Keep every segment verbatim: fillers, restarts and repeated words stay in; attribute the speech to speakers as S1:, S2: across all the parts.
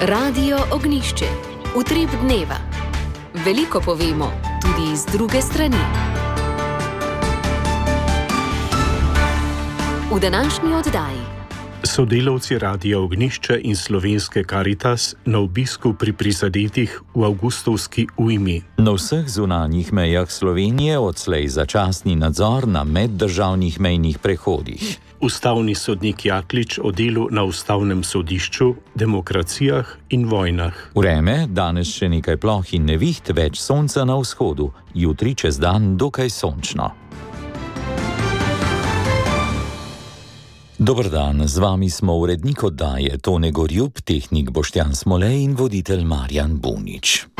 S1: Radio Ognjišče. Utrip dneva. Veliko povemo, tudi iz druge strani. V današnji oddaji.
S2: Sodelavci Radia Ognjišče in Slovenske Karitas na obisku pri prizadetih v avgustovski ujmi.
S3: Na vseh zunanjih mejah Slovenije odslej začasni nadzor na meddržavnih mejnih prehodih.
S2: Ustavni sodnik Jaklič o delu na Ustavnem sodišču, demokracijah in vojnah.
S3: Vreme, danes še nekaj ploh in neviht, več sonca na vzhodu, jutri čez dan dokaj sončno. Dober dan, z vami smo urednik oddaje Tone Gorjup, tehnik Boštjan Smolej in voditelj Marjan Bunič.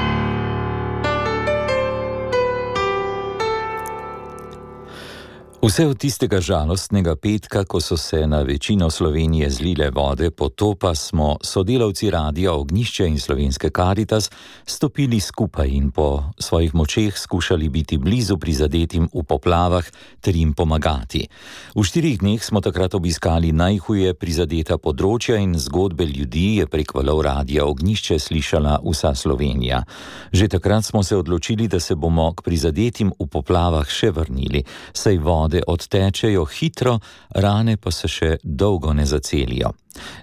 S3: Vse od tistega žalostnega petka, ko so se na večino Slovenije zlile vode potopa, smo sodelavci Radia Ognjišče in Slovenske Karitas stopili skupaj in po svojih močeh skušali biti blizu prizadetim v poplavah ter jim pomagati. V štirih dneh smo takrat obiskali najhuje prizadeta področja in zgodbe ljudi je prek valov Radia Ognjišče slišala vsa Slovenija. Že takrat smo se odločili, da se bomo k prizadetim v poplavah še vrnili, saj vode odtečejo hitro, rane pa se še dolgo ne zacelijo.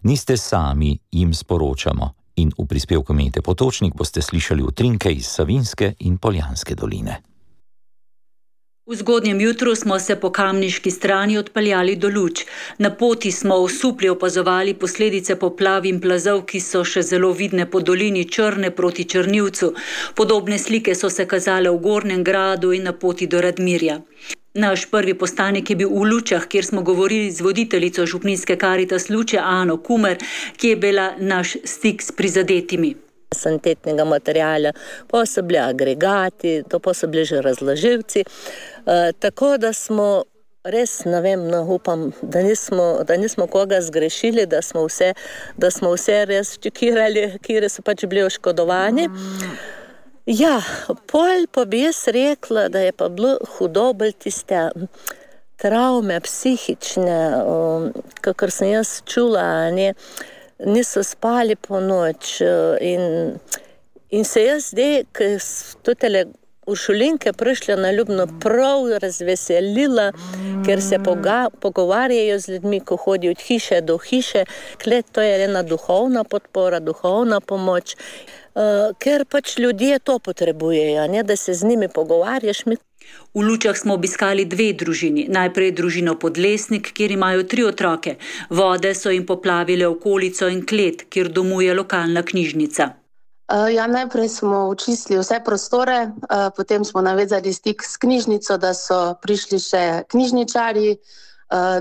S3: Niste sami, jim sporočamo. In v prispevku Mete Potočnik boste slišali utrinke iz Savinjske in Poljanske doline.
S4: V zgodnjem jutru smo se po kamniški strani odpeljali do Luč. Na poti smo osupli opazovali posledice poplav in plazov, ki so še zelo vidne po dolini Črne proti Črnivcu. Podobne slike so se kazale v Gornjem Gradu in na poti do Radmirja. Naš prvi postanek je bil v Lučah, kjer smo govorili z voditeljico župnijske Karitas Luče Ano Kumer, ki je bila naš stik s prizadetimi.
S5: Sanitetnega materijala, pa so bili agregati, to pa so bili že razloživci. E, tako da smo res, ne vem, no, upam, da nismo, da nismo koga zgrešili, da smo vse, da smo vse res čekirali, kjer so pač bili oškodovani. Ja, pol pa bi jaz rekla, da je pa bilo hudo bolj tiste travme psihične, um, kakor sem jaz čula, ne, niso spali po noč in, in se jaz zdaj, ki so tele uršulinke prišle na Ljubno, prav razveselila, ker se poga, pogovarjajo z ljudmi, ko hodijo od hiše do hiše. Klet, to je ena duhovna podpora, duhovna pomoč, uh, ker pač ljudje to potrebujejo, ne, da se z njimi pogovarjaš.
S4: V Lučah smo obiskali dve družini. Najprej družino Podlesnik, kjer imajo tri otroke. Vode so jim poplavile okolico in klet, kjer domuje lokalna knjižnica.
S6: Ja, najprej smo očistili vse prostore, potem smo navezali stik s knjižnico, da so prišli še knjižničarji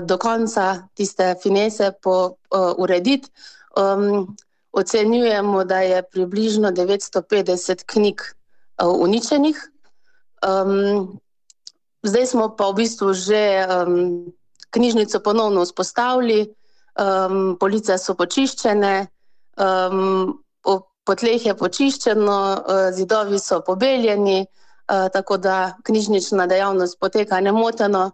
S6: do konca tiste finese po urediti. Um, ocenjujemo, da je približno devetsto petdeset knjig uničenih. Um, zdaj smo pa v bistvu že um, knjižnico ponovno vzpostavili, um, police so počiščene, um, po, po tleh je počiščeno, uh, zidovi so pobeljeni, uh, tako da knjižnična dejavnost poteka nemoteno.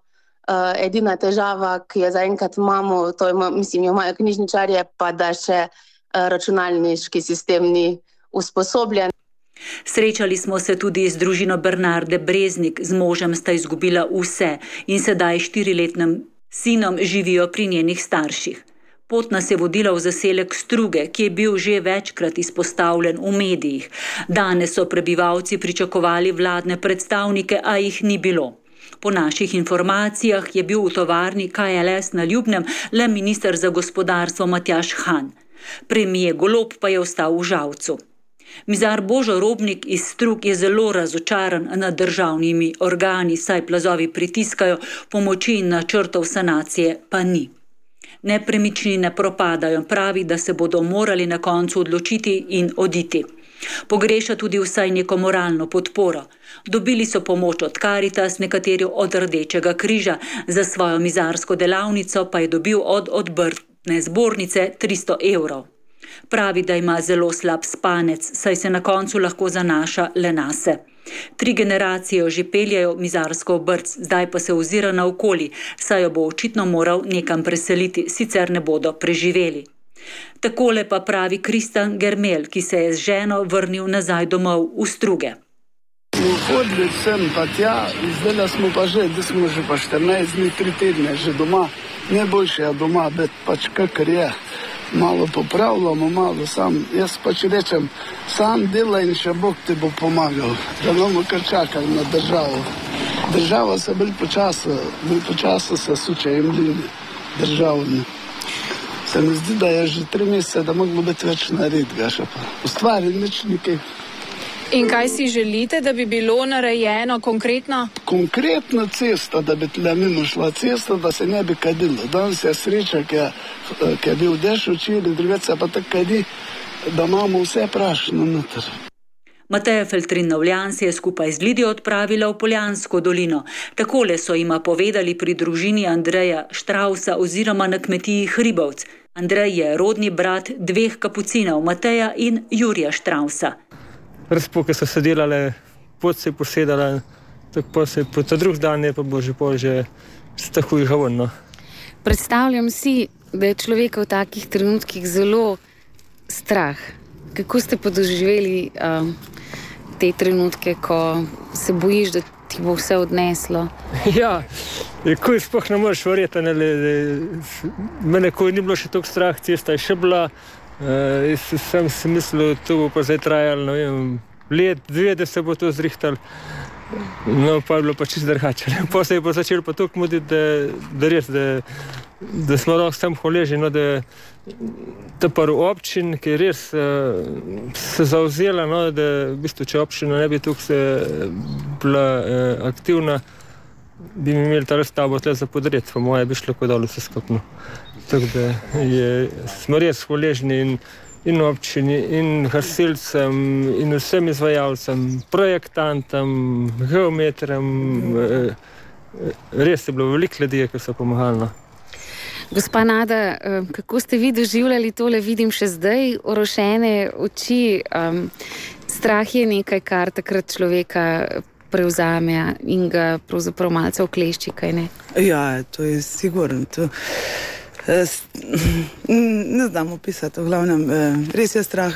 S6: Uh, edina težava, ki je zaenkrat imamo, to je, mislim, jo imajo knjižničarje, pa da še uh, računalniški sistem ni usposobljen.
S4: Srečali smo se tudi z družino Bernarde Breznik, z možem sta izgubila vse in sedaj štiriletnim sinom živijo pri njenih starših. Pot nas je vodila v zaselek Struge, ki je bil že večkrat izpostavljen v medijih. Danes so prebivalci pričakovali vladne predstavnike, a jih ni bilo. Po naših informacijah je bil v tovarni K L S na Ljubnem le minister za gospodarstvo Matjaž Han. Premier Golob pa je ostal v Žalcu. Mizar Božo Robnik iz Strug je zelo razočaran nad državnimi organi, saj plazovi pritiskajo, pomoči in načrtov sanacije pa ni. Nepremičnine propadajo, pravi, da se bodo morali na koncu odločiti in oditi. Pogreša tudi vsaj neko moralno podporo. Dobili so pomoč od Karitas, nekateri od Rdečega križa, za svojo mizarsko delavnico pa je dobil od Obrtne zbornice tristo evrov. Pravi, da ima zelo slab spanec, saj se na koncu lahko zanaša le nase. Tri generacije jo že peljajo mizarsko obrt, zdaj pa se ozira naokoli, saj jo bo očitno moral nekam preseliti, sicer ne bodo preživeli. Takole pa pravi Kristjan Germel, ki se je z ženo vrnil nazaj domov v Struge.
S7: Hodili sem pa tja, zdaj smo pa že, da smo že pa štirinajst dni, tri tedne že doma. Najboljše je doma, bet pač kakor je. Malo popravljamo, malo sam. Jaz pač rečem, sam delaj in še Bog ti bo pomagal. Da bomo kar čakali na državo. Država se bolj počasa, bolj počasa se suče in mlini državni. Se mi zdi, da je že tri mesece, da moglo biti več narediti, še pa ustvari nič nekaj.
S8: In kaj si želite, da bi bilo narejeno konkretno?
S7: Konkretna cesta, da bi tle mimo šla cesta, da se ne bi kadilo. Danes je sreča, ki je, ki je bil dež včeraj, drugače pa tako kadi, da imamo vse prašno noter.
S4: Mateja Feltrin-Novljan se je skupaj z Lidijo odpravila v Poljansko dolino. Takole so jima povedali pri družini Andreja Štrausa oziroma na kmetiji Hribovc. Andrej je rodni brat dveh kapucinov, Mateja in Jurija Štrausa.
S9: Razpoke so se delale, pot se je posedala, tako pa se po ta drug dan je pa bo že pol že stahuj havorno.
S10: Predstavljam si, da je človeka v takih trenutkih zelo strah. Kako ste pa doživeli um, te trenutke, ko se bojiš, da ti bo vse odneslo?
S9: Ja, ko sploh ne moreš verjeti, mene ko ni bilo še toliko strah, cesta je še bila. Uh, jaz sem si mislil, to bo pa zdaj trajalo, no vem, let, dve, da se bo to zrihtalo. No, pa je bilo pa čisto drugače. Pa se je pa začelo pa toliko muditi, da, da res, da, da smo lahko sam hvaležni, no, da ta par občin, ki je res uh, se zavzela, no, da v bistvu, če občina ne bi tukaj se bila uh, aktivna, bi mi imeli ta razstavo tle za podred, pa moje bi šlo kot dolo vse skupno. Tako da je, smo res hvaležni in, in občini, in gasilcem, in vsem izvajalcem, projektantom, geometrom. Res je bilo veliko ljudi, ki so pomagali.
S10: Gospa Nada, kako ste vi doživljali tole, vidim še zdaj orošene oči. Um, strah je nekaj, kar takrat človeka prevzame in ga pravzaprav malce oklešči, kaj ne?
S11: Ja, to je sigurno. To... Ne znam opisati, v glavnem, res je strah,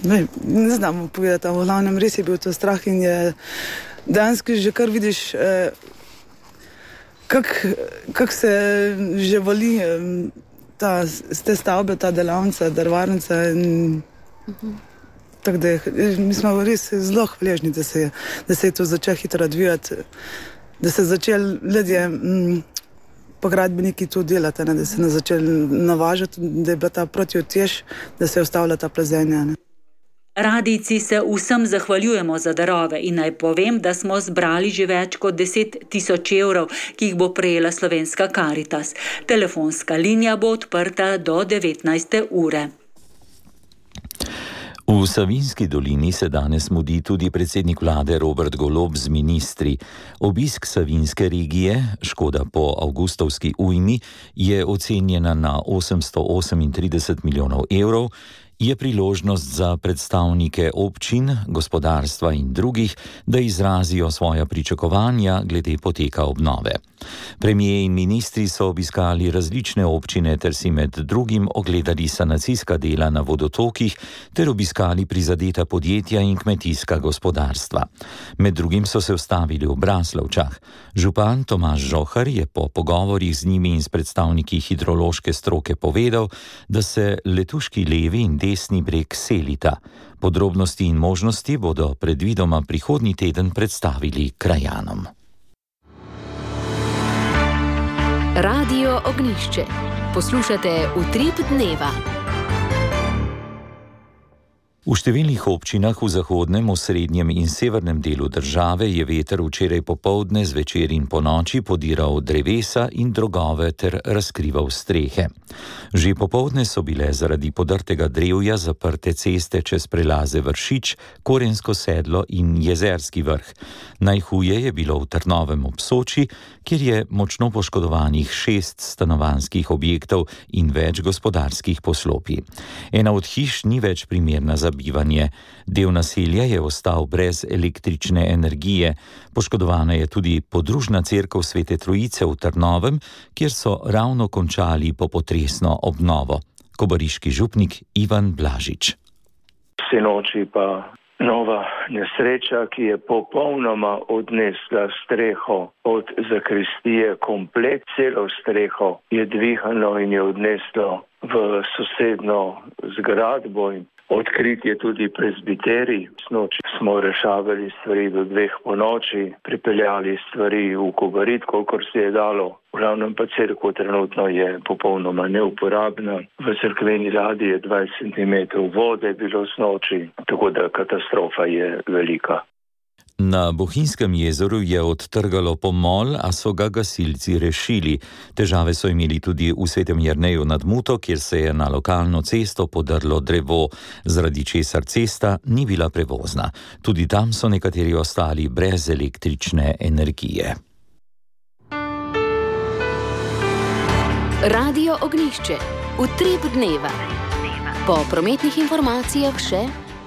S11: ne, ne znam povedati, v glavnem res je bil to strah in je dejansko že kar vidiš, kako kak se že vali ta, z te stavbe, ta delavnica, drvarnica in uh-huh. Tako da mi smo res zelo hvaležni, da se, da se je to začelo hitro odvijati, da se začeli ljudje pa gradbeniki to delati, ne, da se ne začeli navažati, da je bila ta protiutež, da se je ustavila ta plazenja. Ne.
S4: Radijci se vsem zahvaljujemo za darove in naj povem, da smo zbrali že več kot deset tisoč evrov, ki jih bo prejela Slovenska Karitas. Telefonska linija bo odprta do devetnajste ure.
S3: V Savinjski dolini se danes mudi tudi predsednik vlade Robert Golob z ministri. Obisk Savinjske regije, škoda po avgustovski ujmi, je ocenjena na osemsto osemintrideset milijonov evrov, je priložnost za predstavnike občin, gospodarstva in drugih, da izrazijo svoja pričakovanja glede poteka obnove. Premijer in ministri so obiskali različne občine ter si med drugim ogledali sanacijska dela na vodotokih ter obiskali prizadeta podjetja in kmetijska gospodarstva. Med drugim so se ustavili v Braslovčah. Župan Tomaž Žohar je po pogovorih z njimi in s predstavniki hidrološke stroke povedal, da se Letuški levi in desni breg selita. Podrobnosti in možnosti bodo predvidoma prihodnji teden predstavili krajanom.
S1: Radio Ognjišče. Poslušate Utrip dneva.
S3: V številnih občinah v zahodnem, osrednjem in severnem delu države je veter včeraj popoldne, zvečer in ponoči podiral drevesa in drogove ter razkrival strehe. Že popoldne so bile zaradi podrtega drevja zaprte ceste čez prelaze Vršič, Korensko sedlo in Jezerski vrh. Najhuje je bilo v Trnovem ob Soči, kjer je močno poškodovanih šest stanovanjskih objektov in več gospodarskih poslopij. Ena od hiš ni več primerna za bivanje. Del naselja je ostal brez električne energije. Poškodovana je tudi podružna cerkev Svete Trojice v Trnovem, kjer so ravno končali popotresno obnovo. Kobariški župnik Ivan Blažič.
S12: Sinoči pa nova nesreča, ki je popolnoma odnesla streho od zakristije, komplet celo streho je dvihano in je odneslo v sosedno zgradbo. Odkrit je tudi prezbiterij. Snoči smo rešavali stvari do dveh po noči, pripeljali stvari v Kobarid, kolikor se je dalo. V glavnem pa cerkev trenutno je popolnoma neuporabna. V cerkveni ladji je dvajset centimetrov vode bilo snoči, tako da katastrofa je velika.
S3: Na Bohinjskem jezeru je odtrgalo pomol, a so ga gasilci rešili. Težave so imeli tudi v Svetem Jerneju nad Muto, kjer se je na lokalno cesto podrlo drevo, zaradi česar cesta ni bila prevozna. Tudi tam so nekateri ostali brez električne energije.
S1: Radio Ognjišče. Utrip dneva. Po prometnih informacijah še...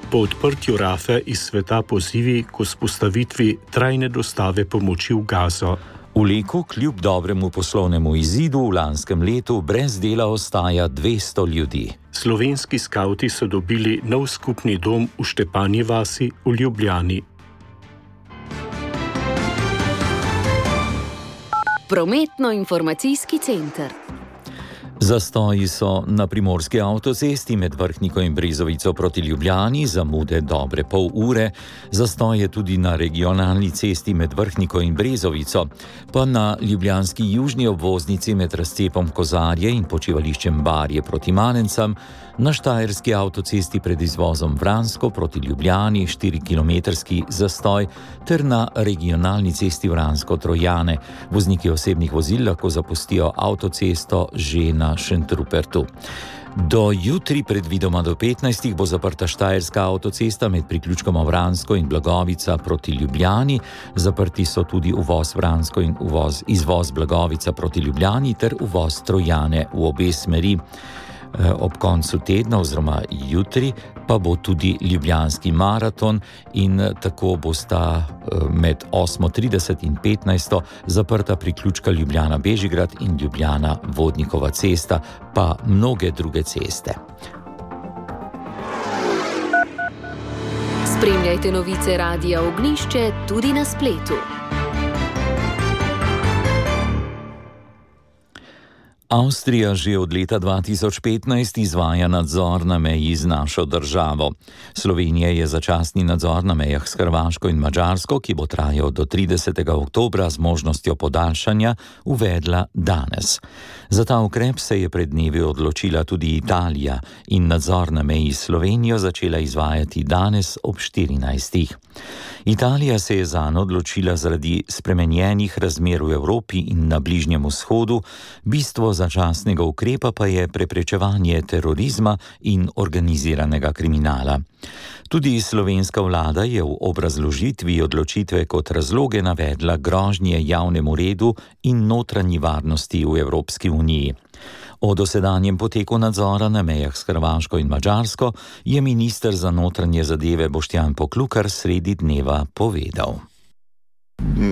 S2: Po odprtju Rafe iz sveta pozivi k vzpostavitvi trajne dostave pomoči v Gazo.
S3: V Leku kljub dobremu poslovnemu izidu v lanskem letu brez dela ostaja dvesto ljudi.
S2: Slovenski skavti so dobili nov skupni dom v Štepanji vasi v Ljubljani.
S1: Prometno-informacijski center.
S3: Zastoji so na primorski avtocesti med Vrhniko in Brezovico proti Ljubljani, zamude dobre pol ure. Zastoj je tudi na regionalni cesti med Vrhniko in Brezovico, pa na ljubljanski južni obvoznici med razcepom Kozarje in počivališčem Barje proti Manencam, na štajerski avtocesti pred izvozom Vransko proti Ljubljani štirikilometrski zastoj ter na regionalni cesti Vransko-Trojane. Vozniki osebnih vozil lahko zapustijo avtocesto že na Šentrupertu. Do jutri, predvidoma do petnajstih, bo zaprta štajerska avtocesta med priključkoma Vransko in Blagovica proti Ljubljani. Zaprti so tudi uvoz Vransko in uvoz, izvoz Blagovica proti Ljubljani ter uvoz Trojane v obe smeri. Ob koncu tedna oziroma jutri pa bo tudi ljubljanski maraton in tako bosta med osmo trideset in petnajsto zaprta priključka Ljubljana-Bežigrad in Ljubljana-Vodnikova cesta, pa mnoge druge ceste.
S1: Spremljajte novice Radia Ognjišče tudi na spletu.
S3: Avstrija že od leta dva tisoč petnajst izvaja nadzor na meji z našo državo. Slovenija je začasni nadzor na mejah s Hrvaško in Madžarsko, ki bo trajal do tridesetega oktobra z možnostjo podaljšanja, uvedla danes. Za ta ukrep se je pred dnevi odločila tudi Italija in nadzor na meji s Slovenijo začela izvajati danes ob štirinajstih. Italija se je zanj odločila zaradi spremenjenih razmer v Evropi in na Bližnjem vzhodu, bistvo začasnega ukrepa pa je preprečevanje terorizma in organiziranega kriminala. Tudi slovenska vlada je v obrazložitvi odločitve kot razloge navedla grožnje javnemu redu in notranji varnosti v Evropski uniji. O dosedanjem poteku nadzora na mejah s Hrvaško in Madžarsko je minister za notranje zadeve Boštjan Poklukar sredi dneva povedal.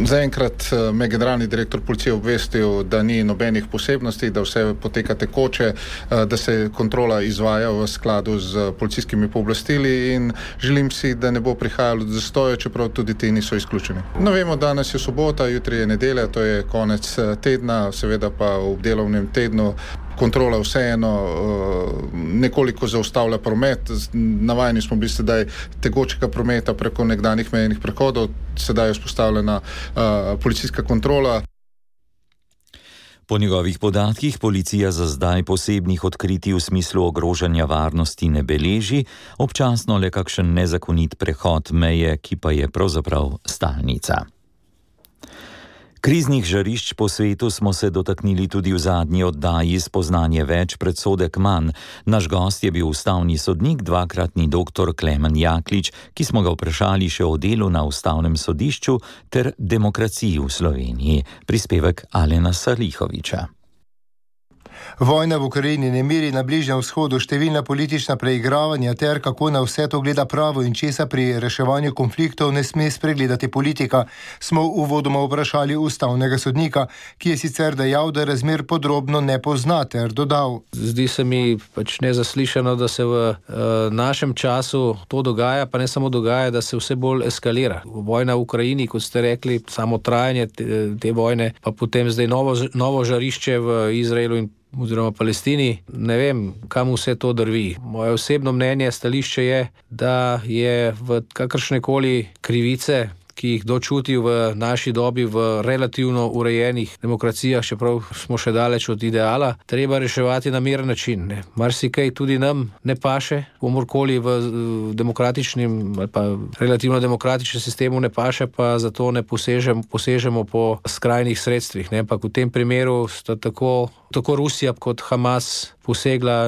S13: Zaenkrat me generalni direktor policije obvestil, da ni nobenih posebnosti, da vse poteka tekoče, da se kontrola izvaja v skladu z policijskimi pooblastili in želim si, da ne bo prihajalo do zastoja, čeprav tudi ti niso izključeni. No, vemo, danes je sobota, jutri je nedelja, to je konec tedna, seveda pa v delovnem tednu kontrola vseeno nekoliko zaustavlja promet. Navajeni smo bili sedaj tekočega prometa preko nekdanjih mejnih prehodov, sedaj je vzpostavljena policijska kontrola.
S3: Po njegovih podatkih policija za zdaj posebnih odkritij v smislu ogrožanja varnosti ne beleži, občasno le kakšen nezakonit prehod meje, ki pa je pravzaprav stalnica. Kriznih žarišč po svetu smo se dotaknili tudi v zadnji oddaji Spoznanje več, predsodek manj. Naš gost je bil ustavni sodnik, dvakratni doktor Klemen Jaklič, ki smo ga vprašali še o delu na ustavnem sodišču ter demokraciji v Sloveniji. Prispevek Alena Sarlihoviča.
S14: Vojna v Ukrajini, nemiri na Bližnjem vzhodu, številna politična preigravanja ter kako na vse to gleda pravo in česa pri reševanju konfliktov ne sme spregledati politika, smo uvodoma vprašali ustavnega sodnika, ki je sicer dejal, da razmer podrobno ne pozna, ter dodal.
S15: Zdi se mi pač nezaslišano, da se v uh, našem času to dogaja, pa ne samo dogaja, da se vse bolj eskalira. Vojna v Ukrajini, kot ste rekli, samo trajanje te, te vojne, pa potem zdaj novo, novo žarišče v Izraelu in oziroma Palestini, ne vem, kam vse to drvi. Moje osebno mnenje, stališče je, da je v kakršnekoli krivice, ki jih dočuti v naši dobi v relativno urejenih demokracijah, čeprav smo še daleč od ideala, treba reševati na miren način. Ne. Marsikaj tudi nam ne paše, komorkoli v demokratičnem ali pa relativno demokratičnem sistemu ne paše, pa zato ne posežemo, posežemo po skrajnih sredstvih. Ne. Pa v tem primeru sta tako, tako Rusija kot Hamas posegla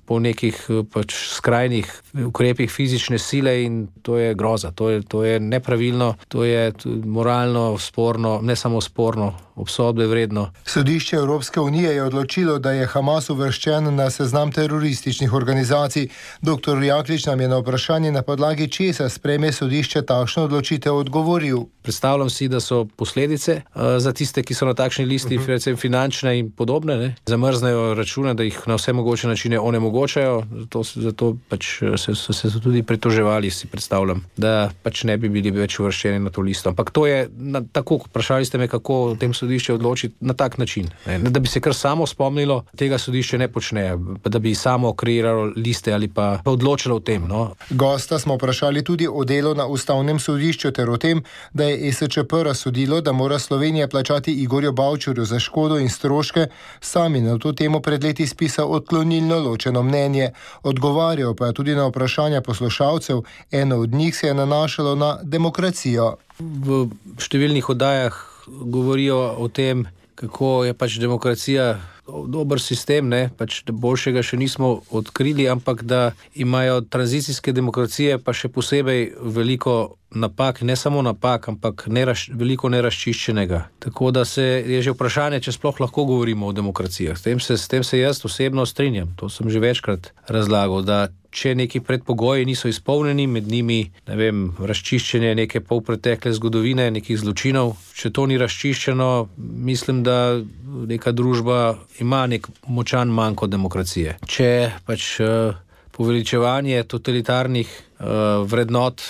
S15: po nekih pač skrajnih ukrepih fizične sile in to je groza, to je, to je nepravilno, to je moralno sporno, ne samo sporno, obsodbe vredno.
S14: Sodišče Evropske unije je odločilo, da je Hamas uvrščen na seznam terorističnih organizacij. Doktor Jaklič nam je na vprašanje, na podlagi česa sprejme sodišče takšno odločitev, odgovoril.
S15: Predstavljam si, da so posledice uh, za tiste, ki so na takšni listi, uh-huh. recimo finančne in podobne, ne? Zamrznejo račune, da jih na vse mogoče načine onemogočajo, zato, zato pač se, so se tudi pritoževali, si predstavljam, da pač ne bi bili več uvrščeni na to listo. Ampak to je, na, tako, vprašali ste me, kako o tem sodišče odloči na tak način. Ne? Da bi se kar samo spomnilo, tega sodišče ne počne, da bi samo kreiralo liste ali pa odločilo o tem. No?
S14: Gosta smo vprašali tudi o delu na ustavnem sodišču ter o tem, da je E S Č P razsodilo, da mora Slovenija plačati Igorju Bavčarju za škodo in stroške, sami na to temo pred leti spisal odklonilno ločeno mnenje. Odgovarjal pa je tudi na vprašanja poslušalcev, eno od njih se je nanašalo na demokracijo.
S15: V številnih oddajah govorijo o tem, kako je pač demokracija dober sistem, ne, pač boljšega še nismo odkrili, ampak da imajo tranzicijske demokracije pa še posebej veliko napak, ne samo napak, ampak neraš, veliko neraščiščenega. Tako da se je že vprašanje, če sploh lahko govorimo o demokracijah. S tem se, s tem se jaz osebno strinjam. To sem že večkrat razlagal, da če neki predpogoji niso izpolnjeni, med njimi, ne vem, razčiščenje neke polpretekle zgodovine, nekih zločinov, če to ni razčiščeno, mislim, da neka družba ima nek močan manko demokracije. Če pač uh, poveličevanje totalitarnih uh, vrednot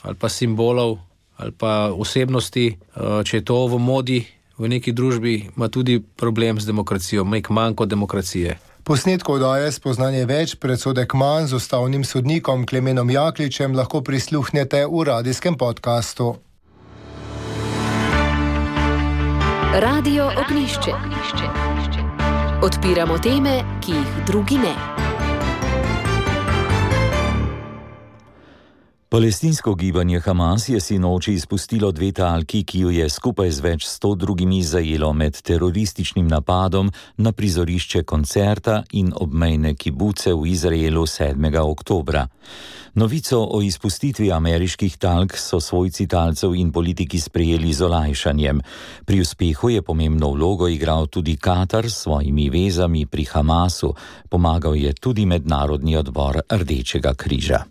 S15: ali pa simbolov ali pa osebnosti, uh, če je to v modi v neki družbi, ima tudi problem z demokracijo, nek manko demokracije.
S14: Posnetko oddaje Spoznanje več, predsodek manj z ustavnim sodnikom Klemenom Jakličem lahko prisluhnete v radijskem podkastu.
S1: Radio Ognjišče. Odpiramo teme, ki jih drugi ne.
S3: Palestinsko gibanje Hamas je sinoči izpustilo dve talki, ki jo je skupaj z več sto drugimi zajelo med terorističnim napadom na prizorišče koncerta in obmejne kibuce v Izraelu sedmega oktobra. Novico o izpustitvi ameriških talk so svojci talcev in politiki sprejeli z olajšanjem. Pri uspehu je pomembno vlogo igral tudi Katar s svojimi vezami pri Hamasu. Pomagal je tudi Mednarodni odbor Rdečega križa.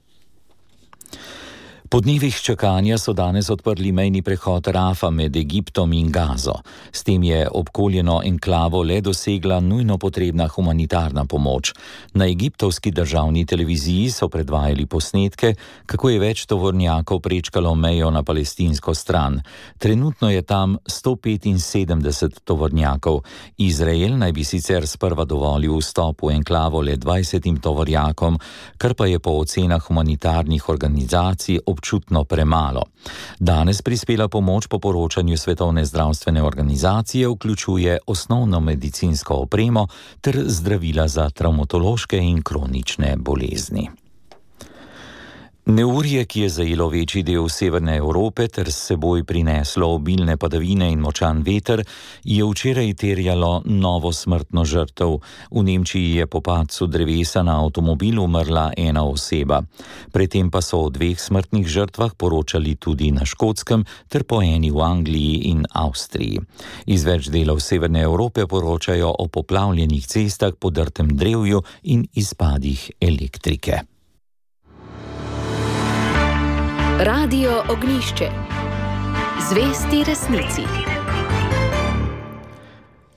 S3: Po dnevih čakanja so danes odprli mejni prehod Rafa med Egiptom in Gazo. S tem je obkoljeno enklavo le dosegla nujno potrebna humanitarna pomoč. Na egiptovski državni televiziji so predvajali posnetke, kako je več tovornjakov prečkalo mejo na palestinsko stran. Trenutno je tam sto petinsedemdeset tovornjakov. Izrael naj bi sicer sprva dovolil vstop v enklavo le dvajsetim tovornjakom, kar pa je po ocenah humanitarnih organizacij občutno premalo. Danes prispela pomoč po poročanju Svetovne zdravstvene organizacije vključuje osnovno medicinsko opremo ter zdravila za travmatološke in kronične bolezni. Neurje, ki je zajelo večji del severne Evrope ter s seboj prineslo obilne padavine in močan veter, je včeraj terjalo novo smrtno žrtev. V Nemčiji je po padcu drevesa na avtomobil umrla ena oseba. Predtem pa so o dveh smrtnih žrtvah poročali tudi na Škotskem ter po eni v Angliji in Avstriji. Iz več delov severne Evrope poročajo o poplavljenih cestah, podrtem drevju in izpadih elektrike.
S1: Radio Ognjišče. Zvesti resnici.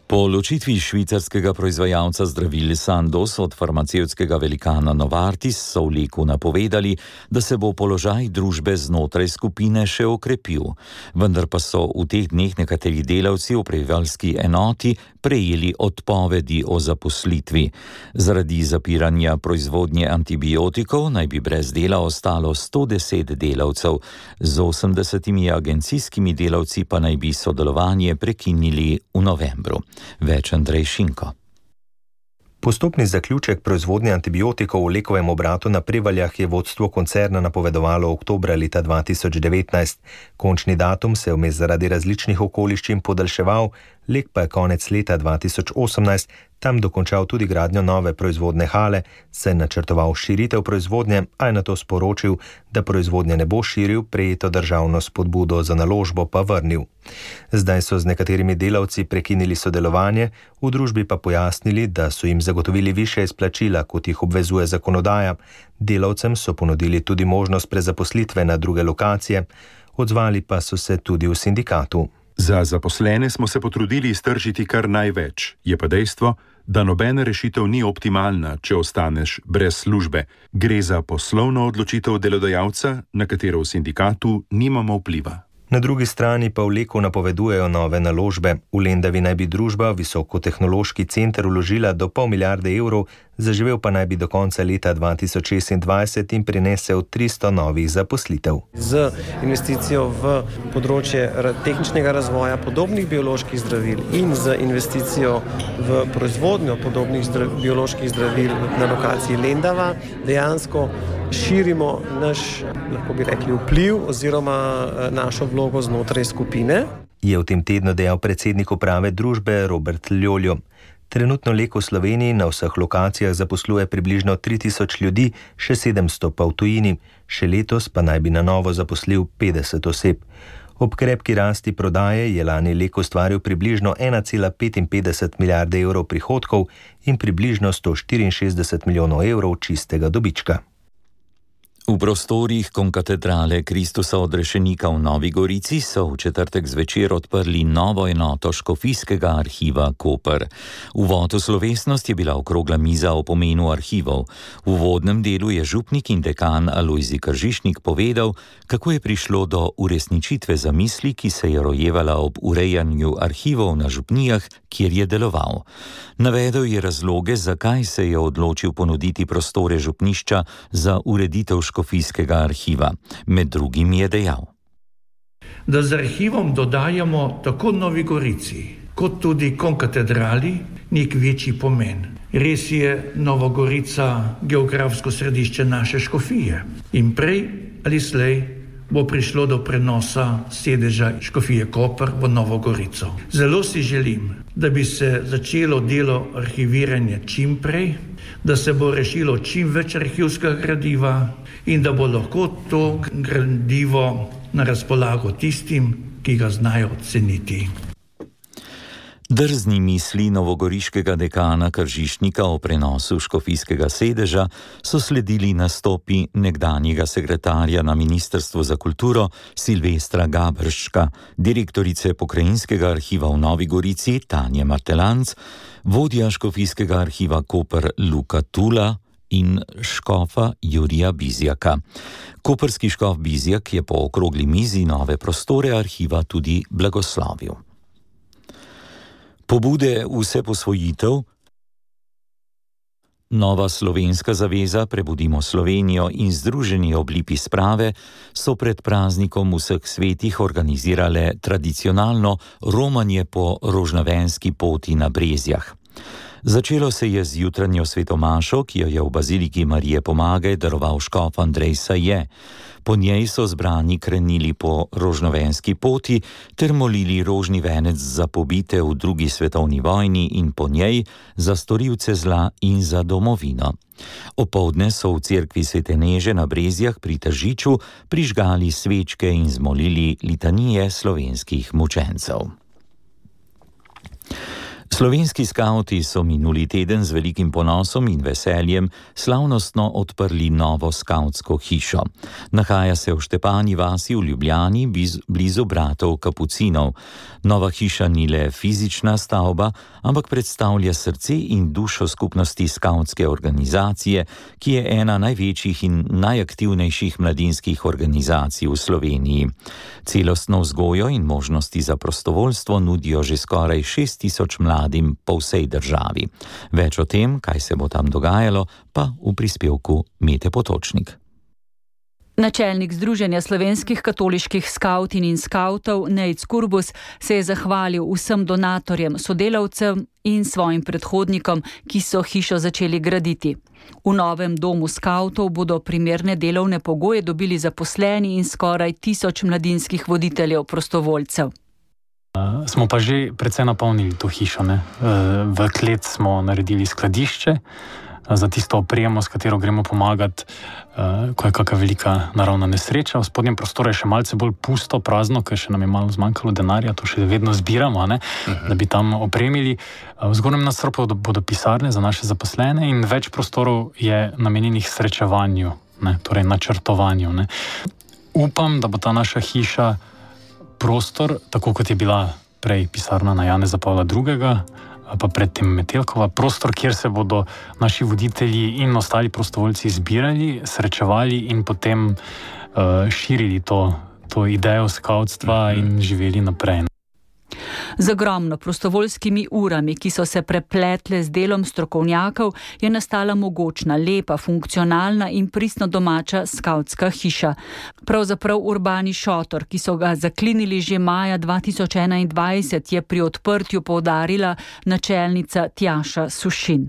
S3: Po ločitvi švicarskega proizvajalca zdravil Sandoz od farmacevtskega velikana Novartis so v Leku napovedali, da se bo položaj družbe znotraj skupine še okrepil. Vendar pa so v teh dneh nekateri delavci v prebivalski enoti prejeli odpovedi o zaposlitvi. Zaradi zapiranja proizvodnje antibiotikov naj bi brez dela ostalo sto deset delavcev. Z osemdesetimi agencijskimi delavci pa naj bi sodelovanje prekinili v novembru. Več Andrej Šinko.
S16: Postopni zaključek proizvodnje antibiotikov v Lekovem obratu na Prevaljah je vodstvo koncerna napovedovalo oktobra leta dva tisoč devetnajst. Končni datum se je vmes zaradi različnih okoliščin podaljševal, Lek pa je konec leta dva tisoč osemnajst tam dokončal tudi gradnjo nove proizvodne hale, se je načrtoval širitev proizvodnje, a je nato sporočil, da proizvodnje ne bo širil, prejeto državno spodbudo za naložbo pa vrnil. Zdaj so z nekaterimi delavci prekinili sodelovanje, v družbi pa pojasnili, da so jim zagotovili višje izplačila, kot jih obvezuje zakonodaja. Delavcem so ponudili tudi možnost prezaposlitve na druge lokacije, odzvali pa so se tudi v sindikatu.
S2: Za zaposlene smo se potrudili iztržiti kar največ, je pa dejstvo, da nobena rešitev ni optimalna, če ostaneš brez službe. Gre za poslovno odločitev delodajalca, na katero v sindikatu nimamo vpliva.
S16: Na drugi strani pa v Leku napovedujejo nove naložbe. V Lendavi naj bi družba Visokotehnološki center vložila do pol milijarde evrov, zaživel pa naj bi do konca leta dva tisoč šestindvajset in prinesel tristo novih zaposlitev.
S17: Z investicijo v področje tehničnega razvoja podobnih bioloških zdravil in z investicijo v proizvodnjo podobnih zdrav, bioloških zdravil na lokaciji Lendava dejansko širimo naš, lahko bi rekli, vpliv oziroma našo vlogo znotraj skupine.
S16: Je v tem tednu dejal predsednik uprave družbe Robert Ljoljo. Trenutno Lek v Sloveniji na vseh lokacijah zaposluje približno tri tisoč ljudi, še sedemsto pa v tujini. Še letos pa naj bi na novo zaposlil petdeset oseb. Ob krepki rasti prodaje je lani Lek ustvaril približno ena cela petinpetdeset milijarde evrov prihodkov in približno sto štiriinšestdeset milijonov evrov čistega dobička.
S3: V prostorih konkatedrale Kristusa odrešenika v Novi Gorici so v četrtek zvečer odprli novo enoto Škofijskega arhiva Koper. Uvod v slovesnost je bila okrogla miza o pomenu arhivov. V uvodnem delu je župnik in dekan Alojzij Kržišnik povedal, kako je prišlo do uresničitve zamisli, ki se je rojevala ob urejanju arhivov na župnijah, kjer je deloval. Navedel je razloge, zakaj se je odločil ponuditi prostore župnišča za ureditev Škofijskega arhiva. Med drugim je dejal,
S18: da z arhivom dodajamo tako Novi Gorici, kot tudi konkatedrali nek večji pomen. Res je Nova Gorica geografsko središče naše škofije in prej ali slej bo prišlo do prenosa sedeža Škofije Koper v Novo Gorico. Zelo si želim, da bi se začelo delo arhiviranja čim prej, da se bo rešilo čim več arhivskega gradiva in da bo lahko to gradivo na razpolago tistim, ki ga znajo ceniti.
S3: Drzni misli novogoriškega dekana Kržišnika o prenosu škofijskega sedeža so sledili nastopi nekdanjega sekretarja na Ministrstvu za kulturo Silvestra Gabrščka, direktorice Pokrajinskega arhiva v Novi Gorici Tanje Martelanc, vodja Škofijskega arhiva Koper Luka Tula in škofa Jurija Bizjaka. Koperski škof Bizjak je po okrogli mizi nove prostore arhiva tudi blagoslovil. Pobude vse posvojitev, Nova slovenska zaveza Prebudimo Slovenijo in Združeni oblipi sprave so pred praznikom vseh svetih organizirale tradicionalno romanje po rožnavenski poti na Brezjah. Začelo se je z jutranjo svetomašo, ki jo je v baziliki Marije Pomagaj daroval škof Andrej Saje. Po njej so zbrani krenili po rožnovenski poti ter molili rožni venec za pobite v drugi svetovni vojni in po njej za storilce zla in za domovino. Opoldne so v cerkvi Svete Neže na Brezjah pri Tržiču prižgali svečke in zmolili litanije slovenskih mučencev. Slovenski skavti so minuli teden z velikim ponosom in veseljem slavnostno odprli novo skavtsko hišo. Nahaja se v Štepani vasi v Ljubljani, blizu bratov Kapucinov. Nova hiša ni le fizična stavba, ampak predstavlja srce in dušo skupnosti skavtske organizacije, ki je ena največjih in najaktivnejših mladinskih organizacij v Sloveniji. Celostno vzgojo in možnosti za prostovoljstvo nudijo že skoraj šest tisoč mladim po vsej državi. Več o tem, kaj se bo tam dogajalo, pa v prispevku Mete Potočnik.
S4: Načelnik Združenja slovenskih katoliških skavtin in skavtov Nejc Kurbus se je zahvalil vsem donatorjem, sodelavcem in svojim predhodnikom, ki so hišo začeli graditi. V novem domu skavtov bodo primerne delovne pogoje dobili zaposleni in skoraj tisoč mladinskih voditeljev prostovoljcev.
S19: Uh, smo pa že precej napolnili to hišo. Ne? Uh, v klet smo naredili skladišče uh, za tisto opremo, s katero gremo pomagati, uh, ko je kakšna velika naravna nesreča. V spodnjem prostoru je še malce bolj pusto, prazno, ker še nam je malo zmanjkalo denarja, to še vedno zbiramo, ne? Uh-huh. Da bi tam opremili. Uh, v zgornjem nadstropju bodo, bodo pisarne za naše zaposlene in več prostorov je namenjenih srečevanju, ne? Torej načrtovanju. Ne? Upam, da bo ta naša hiša prostor, tako kot je bila prej pisarna na Janeza Pavla drugega, pa predtem Metelkova, prostor, kjer se bodo naši voditelji in ostali prostovoljci zbirali, srečevali in potem uh, širili to, to idejo skavtstva in živeli naprej.
S4: Z ogromno prostovoljskimi urami, ki so se prepletle z delom strokovnjakov, je nastala mogočna, lepa, funkcionalna in pristno domača skavtska hiša. Pravzaprav urbani šotor, ki so ga zaklinili že maja dva tisoč enaindvajset, je pri odprtju poudarila načelnica Tjaša Sušin.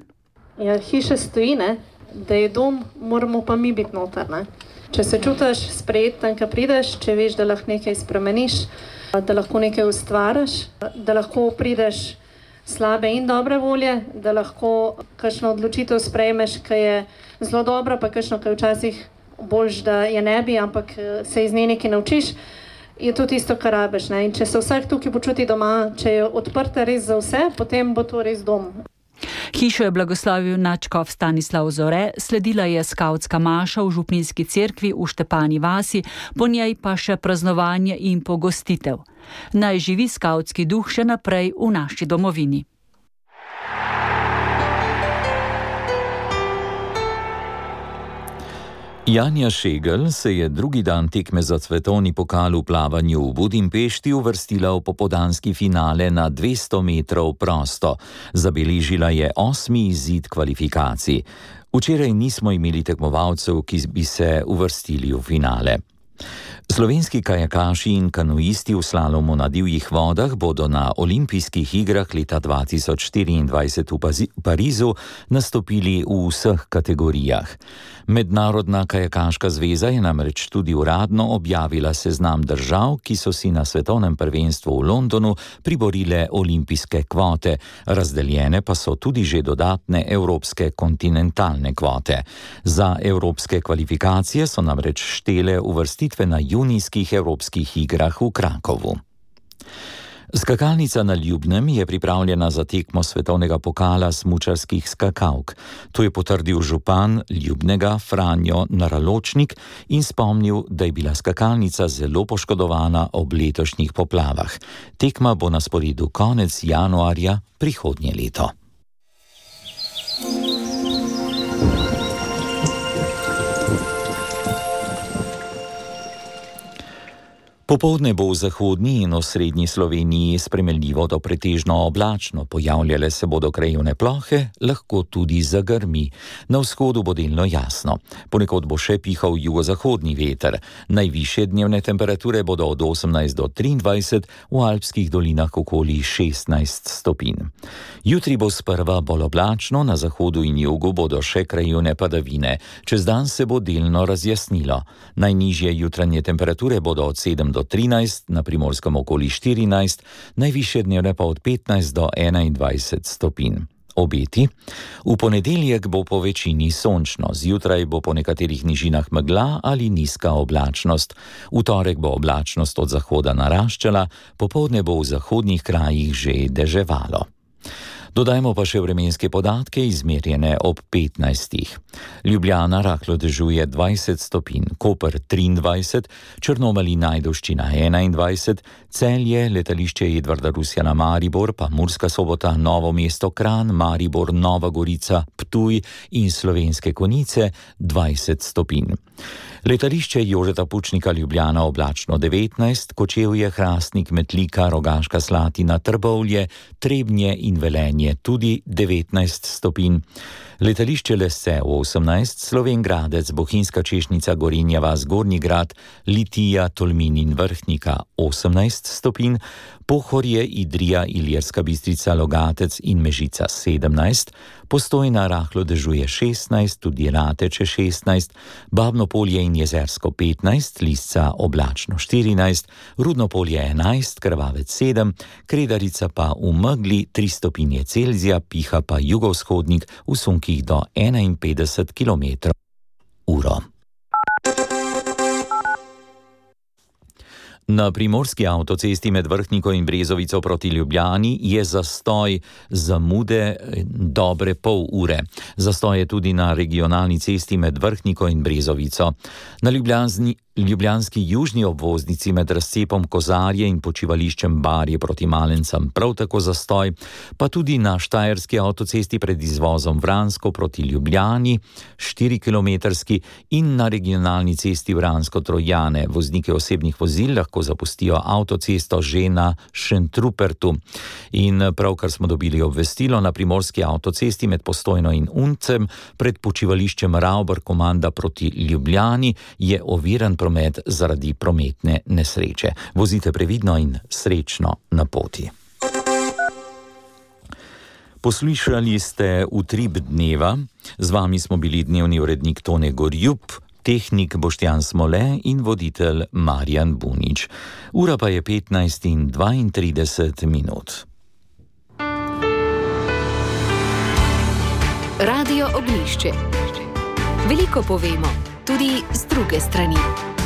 S20: Ja, hiša stoji, ne? Da je dom, moramo pa mi biti noter. Ne? Če se čutiš sprejet tam, ko prideš, če veš, da lahko nekaj spremeniš, da lahko nekaj ustvariš, da lahko prideš slabe in dobre volje, da lahko kakšno odločitev sprejmeš, ki je zelo dobra, pa kakšno, ki je včasih boljš, da je ne bi, ampak se iz nje nekaj naučiš, je to tisto, kar rabiš. Ne? In če se vsak tukaj počuti doma, če je odprta res za vse, potem bo to res dom.
S4: Hišo je blagoslovil nadškof Stanislav Zore, sledila je skavtska maša v župnijski cerkvi v Štepani vasi, po njej pa še praznovanje in pogostitev. Naj živi skavtski duh še naprej v naši domovini.
S3: Janja Šegel se je drugi dan tekme za svetovni pokal v plavanju v Budimpešti uvrstila v popoldanski finale na dvesto metrov prosto. Zabeležila je osmi izid kvalifikacij. Včeraj nismo imeli tekmovalcev, ki bi se uvrstili v finale. Slovenski kajakaši in kanuisti v slalomu na divjih vodah bodo na olimpijskih igrah leta dva tisoč štiriindvajset v Parizu nastopili v vseh kategorijah. Mednarodna kajakaška zveza je namreč tudi uradno objavila seznam držav, ki so si na svetovnem prvenstvu v Londonu priborile olimpijske kvote, razdeljene pa so tudi že dodatne evropske kontinentalne kvote. Za evropske kvalifikacije so namreč štele uvrstitve na junijskih evropskih igrah v Krakovu. Skakalnica na Ljubnem je pripravljena za tekmo svetovnega pokala smučarskih skakalk. To je potrdil župan Ljubnega Franjo Naraločnik in spomnil, da je bila skakalnica zelo poškodovana ob letošnjih poplavah. Tekma bo na sporedu konec januarja prihodnje leto. Popoldne bo v zahodni in osrednji Sloveniji spremenljivo do pretežno oblačno, pojavljale se bodo krajevne plohe, lahko tudi zagrmi. Na vzhodu bo delno jasno. Ponekod bo še pihal jugozahodni veter. Najvišje dnevne temperature bodo od osemnajst do triindvajset, v alpskih dolinah okoli šestnajst stopinj. Jutri bo sprva bolj oblačno, na zahodu in jugu bodo še krajevne padavine. Čez dan se bo delno razjasnilo. Najnižje jutranje temperature bodo od sedem do trinajst, na Primorskem okoli štirinajst, najvišje dnevne pa od petnajst do enaindvajset stopinj. Obeti. V ponedeljek bo po večini sončno, zjutraj bo po nekaterih nižinah megla ali nizka oblačnost. V torek bo oblačnost od zahoda naraščala, popoldne bo v zahodnih krajih že deževalo. Dodajmo pa še vremenske podatke, izmerjene ob petnajstih. Ljubljana rahlo dežuje dvajset stopinj, Koper triindvajset, Črnomelj in Ajdovščina enaindvajset, Celje, letališče Edvarda Rusjana Maribor, pa Murska Sobota, Novo mesto Kranj, Maribor, Nova Gorica, Ptuj in Slovenske Konjice dvajset stopinj. Letališče Jožeta Pučnika Ljubljana oblačno devetnajst, Kočevje, Hrastnik, Metlika, Rogaška Slatina, Trbovlje, Trebnje in Velenje tudi devetnajst stopinj. Letališče Lese osemnajst, Slovenj Gradec, Bohinjska Češnica, Gorenja vas, Gornji Grad, Litija, Tolmin in Vrhnika osemnajst stopinj, Pohorje, Idrija, Ilirska Bistrica, Logatec in Mežica sedemnajst, Postojna rahlo dežuje šestnajst, tudi Rateče šestnajst, Babno Polje in Jezersko petnajst, Lisca oblačno štirinajst, Rudno Polje enajst, Krvavec sedem, Kredarica pa v megli tri stopinje Celzija, piha pa jugovzhodnik v sunkih do enainpetdeset kilometrov uro. Na primorski avtocesti med Vrhniko in Brezovico proti Ljubljani je zastoj zamude dobre pol ure. Zastoj je tudi na regionalni cesti med Vrhniko in Brezovico. Na Ljubljanski, ljubljanski južni obvoznici med razcepom Kozarje in počivališčem Barje proti Malencem prav tako zastoj, pa tudi na štajerski avtocesti pred izvozom Vransko proti Ljubljani, štirikilometrski, in na regionalni cesti Vransko-Trojane. Voznike osebnih vozil lahko zapustijo avtocesto že na Šentrupertu. In pravkar smo dobili obvestilo, na primorski avtocesti med Postojno in Uncem pred počivališčem Ravber komanda proti Ljubljani je oviran promet zaradi prometne nesreče. Vozite previdno in srečno na poti. Poslušali ste Utrip dneva, z vami smo bili dnevni urednik Tone Gorjup, tehnik Boštjan Smole in voditelj Marjan Bunič. Ura pa je petnajst in dvaintrideset minut.
S1: Radio Ognjišče. Veliko povemo, tudi z druge strani.